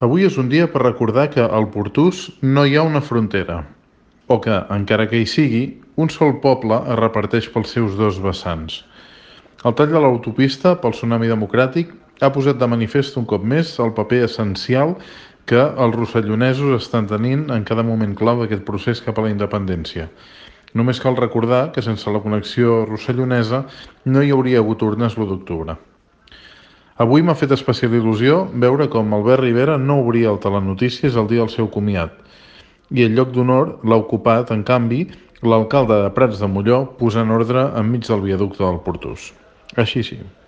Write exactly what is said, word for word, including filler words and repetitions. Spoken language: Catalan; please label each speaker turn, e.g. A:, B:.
A: Avui és un dia per recordar que al Portús no hi ha una frontera, o que, encara que hi sigui, un sol poble es reparteix pels seus dos vessants. El tall de l'autopista pel tsunami democràtic ha posat de manifest un cop més el paper essencial que els rossellonesos estan tenint en cada moment clau d'aquest procés cap a la independència. Només cal recordar que sense la connexió rossellonesa no hi hauria hagut urnes l'u d'octubre. Avui m'ha fet especial il·lusió veure com Albert Rivera no obria el Telenotícies el dia del seu comiat i el lloc d'honor l'ha ocupat, en canvi, l'alcalde de Prats de Molló posant ordre enmig del viaducte del Portús. Així sí.